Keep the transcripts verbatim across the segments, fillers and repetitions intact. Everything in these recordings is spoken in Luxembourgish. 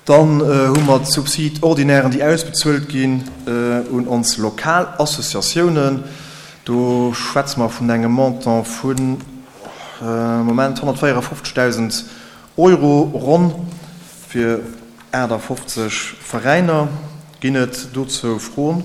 Dann hu mer d'Subside-ordinairen, déi ausbezuelt ginn un ons lokal Associatiounen. Do schwätze mer vun engem Montant vun, Moment, honnertvéierefofzegdausend Euro ronn fir aachtafofzeg Veräiner. Ginn et dozou Froen?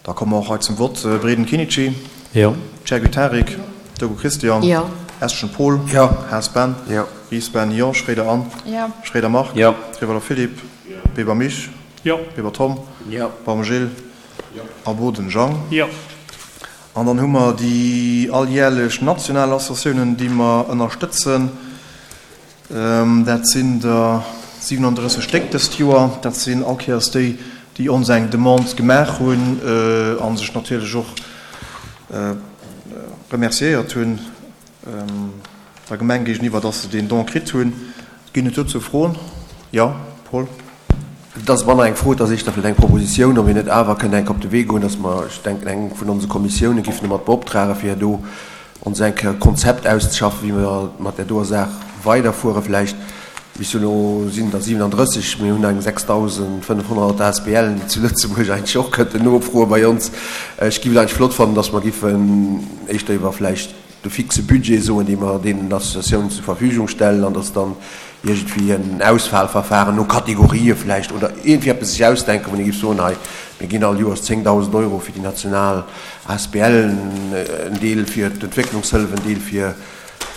Da komme mer och hei zum Vott. Breden Kinici. Jo. Chergui Tarik. Dogo Christian. Jo. Eschen Paul. Jo. Haas Ben. Jo. Ries Ben. Jo. Schroeder Anne. Jo. Schroeder Marc. Jo. Riwalo Philippe. Jo. Weber Mich. Jo. Weber Tom. Jo. Baum Gilles. Jo. A Boden Jean. Jo. An dann hu mer déi alljährlech national Associatiounen, déi mer ënnerstëtzen. Dat sinn der siwenandrësseg Stéck dëst Joer. Dat sinn all Kéiers déi, déi ons eng Demande gemaach hunn a sech natierlech och remerciéiert hunn der Gemeng géigeniwwer, dass se deen Don kritt hunn. Ginn et dozou Froen? Jo, Paul. Et ass manner eng Fro, et ass éischter vläicht eng Proposition, ob een net awer kënnt enk op de Wee goen, dass mer, ech denken, eng vun onse Kommissiounen giffen domat beoptragen, fir do ons eng Kéier e Konzept auszeschaffen, wéi mer mat där doer Saach weiderfuere vläicht. Bis elo sinn der siwenandrësseg, mir hunn eng sechsdausendfënnefhonnert A S B L, déi zu Lëtzebuerg eigentlech och kënnten nofroe bei ons. Ech giff et eigentlech flott fannen, dass mer giffen éischter iwwer vläicht de fixe Budget soen, dee mer deenen Associatiounen zur Verfügung stellen, an dass dann iergendwéi en Auswahlverfahren no Kategorië vläicht oder iergendwéi eppes sech ausdenken, wou een géif soen, hei, mir ginn all Joers zéngdausend Euro fir déi national A S B L, en Deel fir d'Entwécklungshëllef, en Deel fir,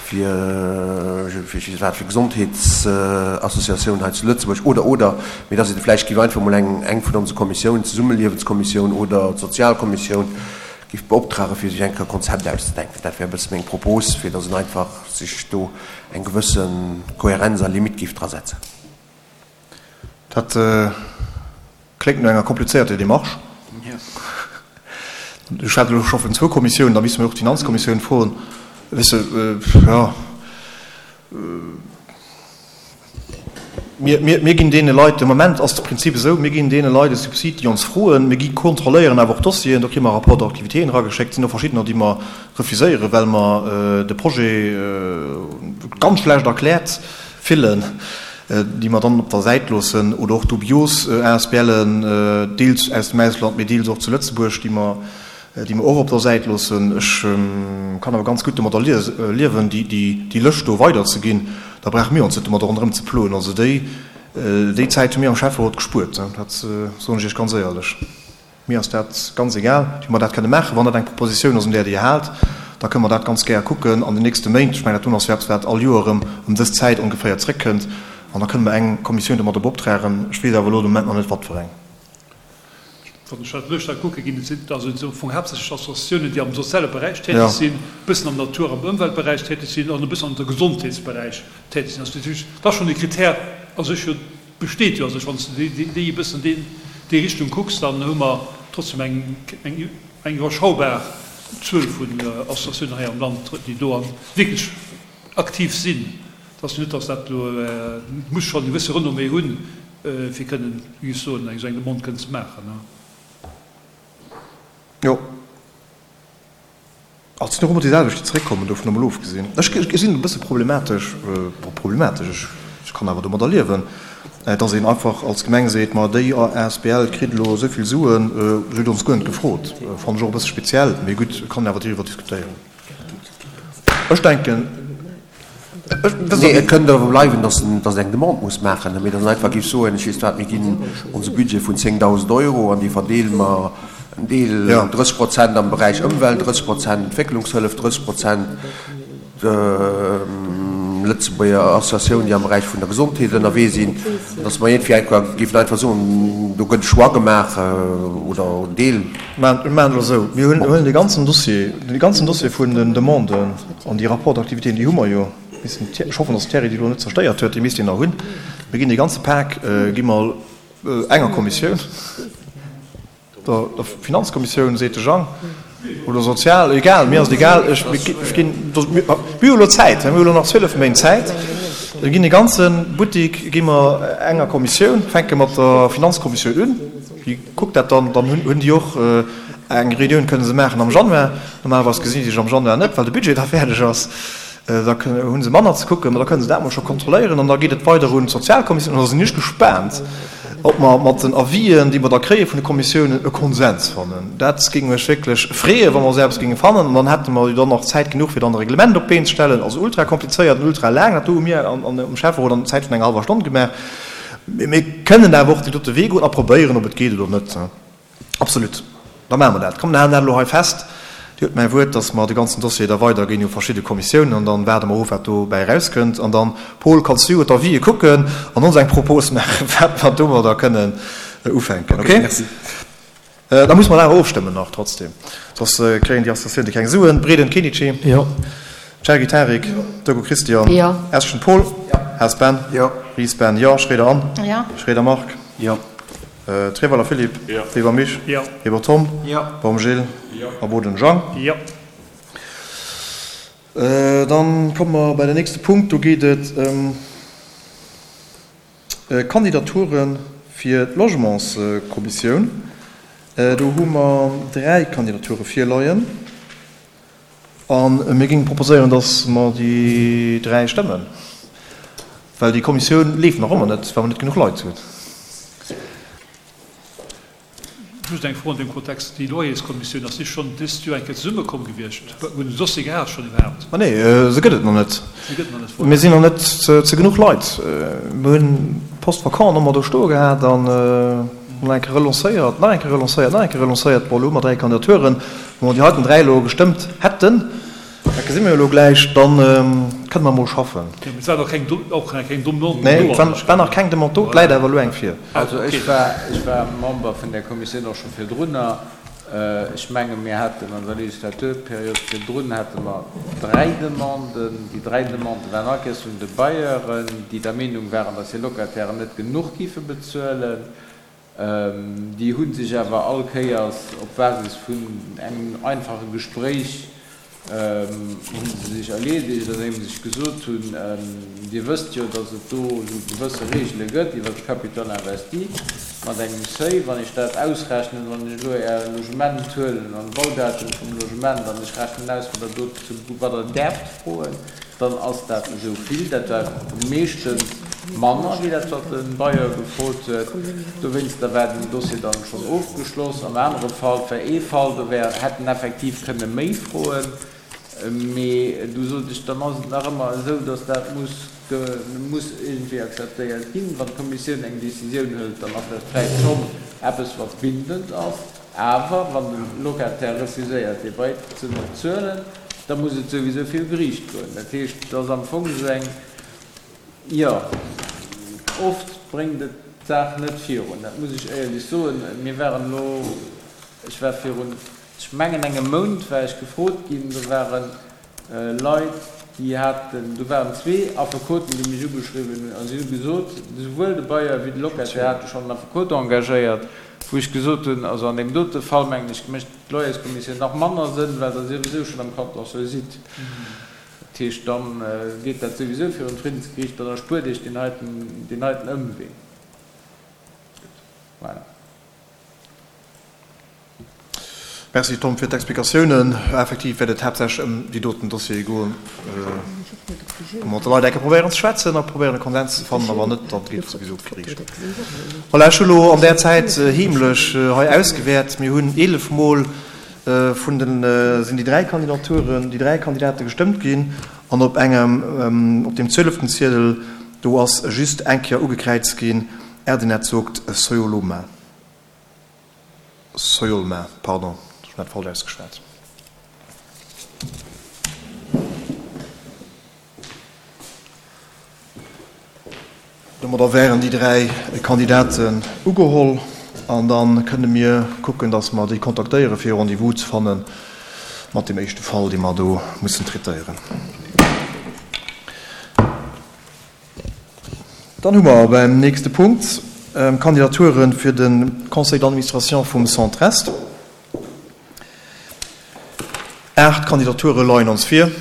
fir, fir ech weess wat, fir Gesondheetsassociatiounen hei zu Lëtzebuerg oder, oder, mee dass een vläicht géif einfach emol eng, eng vun onse Kommissiounen, d'Zesummeliewenskommissioun oder d'Sozialkommissioun, géif beoptragen, fir sech eng Kéier e Konzept auszedenken. Dat wär e bësse meng Propos, fir dass een einfach sech do eng gewësse Kohärenz a Limite géif drasetzen. Dat kléngt no enger komplizéierter Démarche. Du schwätz elo scho vun zwou Kommissiounen, da misste mir och d'Finanzkommissioun froen. Weess de, jo. Mir, mir, mir ginn deene Leit, de Moment ass de Prinzip esou, mir ginn deene Leit e Subsid, déi ons froen. Mir gi kontrolléieren awer och d'Dossieren, do kréie mer Rapports d'activitéen erageschéckt. Et sinn och verschiddener, déi mer refuséieren, well mer de Projet ganz schlecht erkläert fillen, déi mer dann op der Säit loossen. Oder och dubios A S B Len, deels aus dem Ausland, mee deels och zu Lëtzebuerg, déi mer, déi mer och op der Säit loossen. Ech kann awer ganz gutt domadder liewen, déi Lëscht do weiderzeginn. Da brauche mir ons net domadder ronderëm ze ploen. Also déi, déi Zäit hu mir am Schäfferot gespuert, dat soen ech Iech ganz éierlech. Mir ass dat ganz egal, wéi mer dat kënne maachen. Wann dat eng Propositioun ass, un där Dir haalt, da kënne mer dat ganz gär kucken an den nächste Méint. Ech mengen, dat doen ass jo eppes, wat all Joer erëm ëm dës Zäit ongeféier zréckkënnt. An da kënne mer eng Kommissioun domadder beoptragen. Ech weess awer elo de Moment nach net, wat fir eng. Wann ech dat Lëscht hei kucke ginn, et sinn also am Fong haaptsächlech Associatiounen, déi am soziale Beräich täteg sinn, e bëssen am Natur am Ëmweltberäich täteg sinn an e bëssen am Gesondheetsberäich täteg sinn. Also dat heescht, dat ass schonn e Kritär a sech jo, besteet jo a sech. Wann s de déi e bëssen déi déi Richtung kucks, dann hu mer trotzdem eng eng eng iwwerschaubar Zuel vun Associatiounen hei am Land, déi do wierklech aktiv sinn. Et ass jo net, datt dat elo, et muss schonn e gewësse Renommée hunn, fir kënnen, wéi ech soen, eng esou eng Demande kënnen ze maachen. Jo. Et sinn och ëmmer déi selwecht, déi zeréckkommen, dovun emol ofgesinn. Ech gesinn et e bësse problematesch, bon, problematesch, ech kann awer domadder liewen, datt een einfach als Gemeng seet, ma déi A S B L kritt elo esou vill Suen, se huet ons guer net gefrot. Fannen ech och e bësse speziell, mee gutt, et kann een awer driwwer diskutéieren. Ech denken. Nee, et kënnt awer bleiwen, dass en, dass eng Demande muss maachen, mee dass en einfach géif soen, ech weess wat, mir ginn onse Budget vun zéngdausend Euro an dee verdeele mer en Deel, drësseg Prozent am Beräich Ëmwelt, drësseg Prozent Entwécklungshëllef, drësseg Prozent Lëtzebuerger Associatioun, déi am Beräich vun der Gesondheet ënnerwee sinn, dass mer iergendwéi einfach géifen einfach soen, do gëtt e Choix gemaach oder en Deel. Mir maachen et elo esou, mir huelen dee ganzen Dossier, dee ganzen Dossier vun den Demanden an déi Rapports d'activitéen, déi hu mer jo, ech hoffen, dass de Thierry déi elo net zerstéiert huet, déi misst een nach hunn. Mir ginn dee ganze Pak gi mer enger Kommissioun, der Finanzkommissioun, seet de Jang, oder sozial, egal, mir ass et egal, ech ginn, mir hu elo Zäit, mir hu elo nach zwielef Méint Zäit, mir ginn dee ganze Buttik gi mer enger Kommissioun, fänke mat der Finanzkommissioun un, déi kuckt dat dann, dann hunn déi och eng Reunioun kënne se maachen am Januar, normalerweis gesinn déi sech am Januar net, well de Budget da fäerdeg ass. Da hu se manner ze kucken, ma da kënne se dat mol scho kontrolléieren an da geet et weider un d'Sozialkommissioun. An da sinn ech gespaant, ob mer mat den Avisen, déi mer da kréie vun de Kommissiounen, e Konsens fannen. Dat géing mech wierklech freeën, wa mer esou eppes géinge fannen. An dann hätte mer jo dann nach Zäit genuch, fir dann e Reglement op d'Been ze stellen. Also ultra komplizéiert an ultra laang. Dat do hu mir am Schäfferot an Zäit vun enger hallwer Stonn gemaach. Mee mir kënnen awer och deen dote Wee goen a probéieren, ob et geet oder net. Absolut. Da maache mer dat. Komm, mir halen dat elo hei fest. Dir hutt mäi Wuert, dass mer de ganzen Dossier da weiderginn u verschidde Kommissiounen an dann waarde mer of, wat dobäi erauskënnt. An dann, Paul, kanns du jo d'Avisë kucken an ons eng Propos maachen, wat mer domadder kënnen ufänken. Okay? Merci. Da musse mer awer ofstëmmen nach trotzdem, soss kréien déi Associatioune keng Suen. Breden Kenichi. Jo. Cherki Tarik. Jo. Turko Christian. Jo. Eschen Paul. Jo. Haas Ben. Jo. Ries Ben. Jo. Schroeder Anne. Jo. Schroeder Marc. Jo. Treweiler Philippe. Jo. Weber Mich. Jo. Weber Tom. Jo. Baum Gilles. Jo. A Boden Jean. Jo. Dann komme mer bei den nächste Punkt. Do geet et ëm Kandidature fir d'Logementskommissioun. Do hu mer dräi Kandidature virleien. A mir géinge proposéieren, dass mer déi dräi stëmmen, well déi Kommissioun leeft nach ëmmer net, well mer net genuch Leit hunn. Just eng Fro an deem Kontext, Déi Loyerskommissioun, ass déi schonn dëst Joer eng Kéier zesummekomm gewiescht? Hunn den Dossier gehat schonn iwwerhaapt? Ma nee, se gëtt et nach net. Se gëtt nach net, voilà. Mir sinn nach net ze genuch Leit. Mir hunn d'Post vacant ëmmer do stoe gehat an nach eng Kéier relancéiert, nach eng Kéier relancéiert, nach eng Kéier relancéiert. Bon, elo hu mer dräi Kandidaturen. Wa mer déi heiten dräi elo gestëmmt hätten, dat gesi mer jo elo gläich, da kënne mer emol schaffen. Jo, mee et war nach keng, och nach keng Demande do. Nee, et war nach keng Demande do, et läit awer elo eng vir. Also ech war, ech war Member vun där Kommissioun och scho virdrunner. Ech menge mir haten an der Legislaturperiod virdrun hate mer dräi Demanden. Déi dräi Demandë waren all Kéiers vun de Bailleuren, déi der Meenung waren, datt hir Locatairen net genuch géife bezuelen. Déi hu sech awer all Kéiers op Basis vun engem einfache Gespréich hu se sech erleedegt, andeem se sech gesot hunn, Dir wësst jo, datt et do esou gewësse Regele gëtt iwwert de Capital investi mat engem Seuil. Wann ech dat ausrechnen, wann ech elo Är Logement huelen an d'Baudatum vum Logement an ech rechnen aus, wat Der do zu, wat Der däerft froen, dann ass dat esou vill. Dat war meeschtens manner wéi dat, wat de Bailleur gefrot huet. Dowéinster war den Dossier dann schonn ofgeschloss. Am anere Fall, et war ee Fall, do wär, hätt en effektiv kënne méi froen, mee du sot ech, dann ass et nach ëmmer esou, datt dat muss, muss iergendwéi akzeptéiert ginn. Wann d'Kommissioun eng Décisioun hëlt, dann ass dat vläicht schonn eppes, wat bindend ass. Awer wann de Locataire refuséiert, dee Bail ze bezuelen, da muss et souwisou viru Geriicht goen. Dat heescht, et ass am Fong esou eng, jo, oft bréngt et d'Saach net virun, dat muss ech éierlech soen. Mir waren elo, ech war virun, ech mengen engem Mount war ech gefrot ginn, do ware Leit, déi haten, do waren zwee Affekoten, déi mech ugeschriwwen hunn a si hu gesot, souwuel de Bailleur wéi de Locataire hate schonn en Affekot engagéiert, wou ech gesot hunn, also an deem dote Fall, mengen ech, mécht d'Loyerskommissioun nach manner Sënn, well Der souwisou schonn am Contentieux sidd. Dat heescht, da geet dat souwisou virun d'Friddensgeriicht, dann erspuert Iech deen heiten, deen heiten Ëmwee. Gutt, voilà. Merci Tom fir d'Explikatiounen. Effektiv wäert et haaptsächlech ëm déi doten Dossiere goen, wou mer mat de Leit enke probéieren ze schwätzen a probéieren e Konsens ze fannen, a wann net, da geet et souwisou op d'Geriicht. Voilà, ech hu lo an där Zäit heemlech hei ausgewäert. Mir hunn eelef Mol vun den, sinn déi dräi Kandidaturen, déi dräi Kandidate gestëmmt ginn an op engem, op deem zwieleften Ziedel, do ass just eng Kéier ugekräizt ginn, Erdenet Sogt Soyoloma. Soyolma, pardon, ech hunn dat falsch ausgeschwat. Domadder wären déi dräi Kandidaten ugeholl an da kënne mir kucken, datt mer déi kontaktéieren, fir e Rendez-vous ze fanne mat deem éischte Fall, dee mer do mussen traitéieren. Dann hu mer beim nächste Punkt Kandidature fir de Conseil d'administration vum Centre-Est. Aacht Kandidature leien ons vir.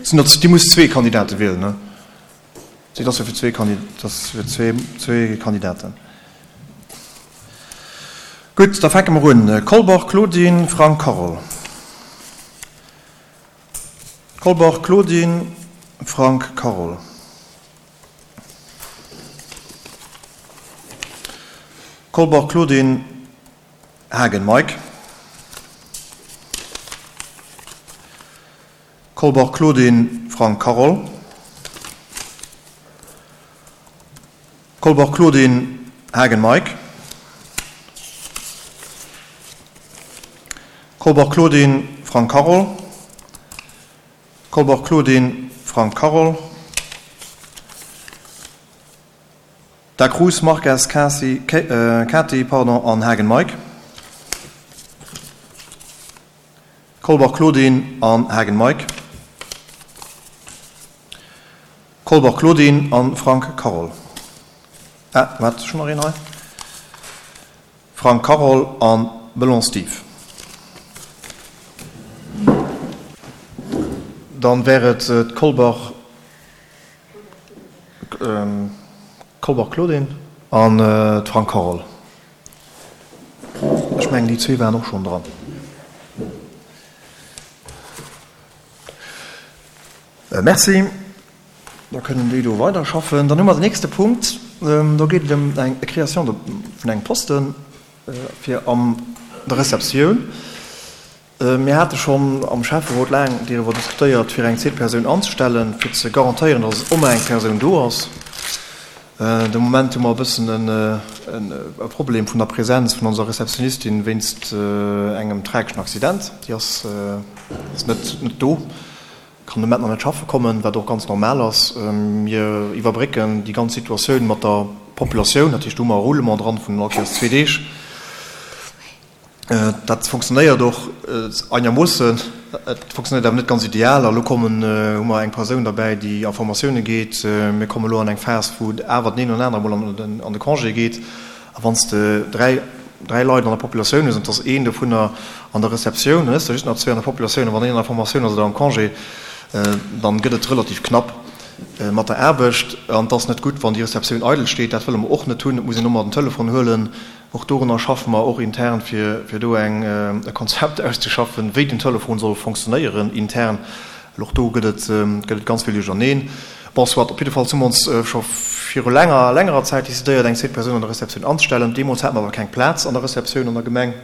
Sinn der, Dir musst zwee Kandidate wielen, ne? Et ass jo fir zwee Kandi, et ass fir zwee, zwee Kandidaten. Gutt, da fänke mer un. Kolbach Claudine, Frank Carole. Kolbach Claudine, Frank Carole. Kolbach Claudine, Hagen Mike. Kolbach Claudine, Frank Carole. Kolbach Claudine, Hagen Mike. Kolbach Claudine, Frank Carole. Kolbach Claudine, Frank Carole. Da Cruz Marques Cassie, Ke, äh, Cathy pardon, an Hagen Mike. Kolbach Claudine an Hagen Mike. Kolbach Claudine an Frank Carole. Ah, wat schonn nach een hei? Frank Carole an Belon Steve. Dann wär et äh, d'Kolbach ähm, Kolbach Claudine an äh, d'Frank Carole. Ech mengen déi zwee waren och schonn dran. Äh, merci. Da kënnen déi do weiderschaffen. Dann hu mer den nächste Punkt. Ähm, do geet et ëm eng Création de, vun engem Posten äh, fir an der Receptioun. Äh, mir hate schonn am Schäfferot laang doriwwer diskutéiert, fir eng zweet Persoun anzestellen, fir ze garantéieren, dass ëmmer eng Persoun do ass. Äh, de Moment hu mer e bëssen en, en, e Problem vun der Präsenz vun onser Receptionistin wéinst äh, engem trageschen Accident. Déi ass, äh, ass net, net do, kann de Moment nach net schaffe kommen, wat och ganz normal ass. Ähm, mir iwwerbrécken déi ganz Situatioun mat der Populatioun, dat heescht, do hu mer e Roulement dran vun all Kéiers zwee Deeg. Äh, dat funktionéiert och äh, einermoossen, et funktionéiert awer net ganz ideal. A lo kommen, äh, hu mer eng Persoun derbäi, déi a Formatioune geet. Äh, mir komme lo an eng Phas, wou awer den een oder anere mol an den, an de Congé geet. A wann s de dräi, dräi Leit an der Populatioun hues, an et ass een dovunner an der Receptioun, dann hues de just nach zwee an der Populatioun, a wann een an der Formatioun ass oder am Congé, äh, dann gëtt et relativ knapp äh, mat der Aarbecht. An et ass net gutt, wann déi Receptioun eidel steet. Dat wëlle mer och net hunn. Et muss een ëmmer den Telefon huelen. Och dorunner schaffe mer och intern, fir, fir do eng, äh, e Konzept auszeschaffen, wéi den Telefon soll funktionéieren intern. Well och do gëtt et, ähm, gëtt et ganz vill Duercherneen. Bon, soit, op jidde Fall hu mer ons äh, scho viru längerer, längerer Zäit decidéiert, eng zweet Persoun an der Receptioun anzestellen. Deemools hate mer awer keng Plaz an der Receptioun an der Gemeng.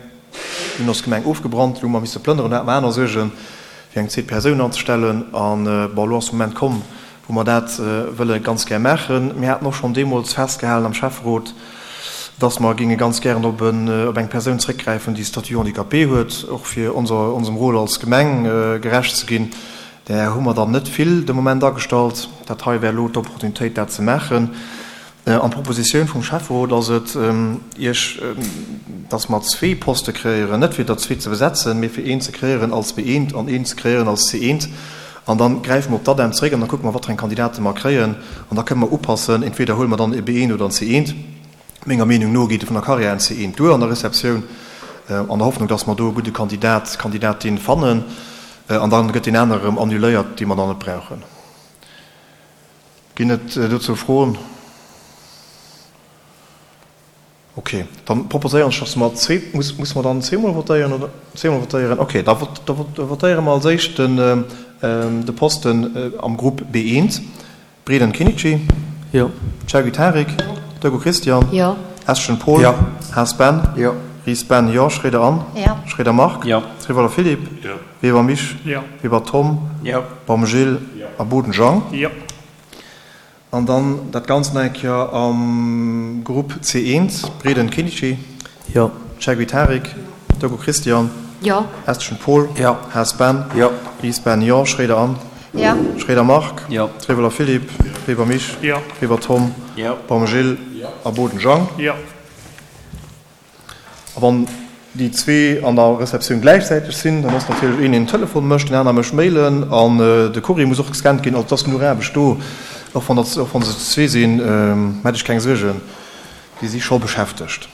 Dunn ass d'Gemeng ofgebrannt, elo hu mer misse plënneren, do hate mer aner Suergen, fir eng zweet Persoun anzestellen. An, äh, bon, elo ass de Moment komm, wou mer dat, äh, wëlle ganz gär maachen. Mir haten och schonn deemools festgehalen am Schäfferot, dass mer ginge ganz gären op en, op eng Persoun zréckgräifen, déi Statut handicapé huet, och fir onser, onsem Rôle als Gemeng, äh, gerecht ze ginn. Där hu mer dann net vill de Moment agestallt. Dat hei wär elo d'Opportunitéit, dat ze maachen. Äh, an d'Propositioun vum Schäfferot ass et, ähm, Iech, ähm, dass mer zwee Poste kreéieren, net fir der zwee ze besetzen, mee fir een ze kreéieren als B eent an een ze kreéieren als C eent. An dann gräife mer op d'ADEM zeréck an da kucke mer, wat fir eng Kandidate mer kréien. An da kënne mer upassen, entweder huele mer dann e B eent oder en C eent. Menger Meenung no geet et vun der Carrière en C eent duer an der Receptioun, äh, an der Hoffnung, dass mer do e gudde Kandidat, Kandidatin fannen. Äh, an dann gëtt deen anere erëm annuléiert, dee mer dann net brauchen. Ginn et, äh, dozou Froen? Okay, dann proposéieren ech, dass mer zwee, muss, muss mer dann zweemol votéieren oder zweemol votéieren? Okay, da vot, da vot, da votéiere mer als éischt den, ähm, de Posten, äh, am Grupp B eent. Breden Kinichi. Jo. Chergui Tarik. Dögo Christian. Jo. Eschen Paul. Jo. Haas Ben. Jo. Ries Ben, jo. Schroeder Anne. Jo. Schroeder Marc. Jo. Rivoller Philippe. Jo. Weber Mich. Jo. Weber Tom. Jo. Baum Gilles. Jo. A Boden Jean. Jo. An dann dat Ganzt nach eng Kéier am Grupp C eent. Breden Kinichi. Jo. Chergui Tarik. Dögo Christian. Jo. Eschen Paul. Jo. Haas Ben. Jo. Ries Ben, jo. Schroeder Anne. Jo. Schroeder Marc. Jo. Rivoller Philippe. Jo. Weber Mich. Jo. Weber Tom. Jo. Baum Gilles. Jo. A Boden Jean. Jo. A wann déi zwee an der Receptioun gläichzäiteg sinn, dann ass natierlech een, deen den Telefon mécht, den aner mécht Mailen an, äh, de Courrier muss och gescannt ginn. Also et ass genuch Aarbecht do, och wann dat, och wann se zwee sinn, ähm, hätt ech keng Suergen, déi si scho beschäftegt.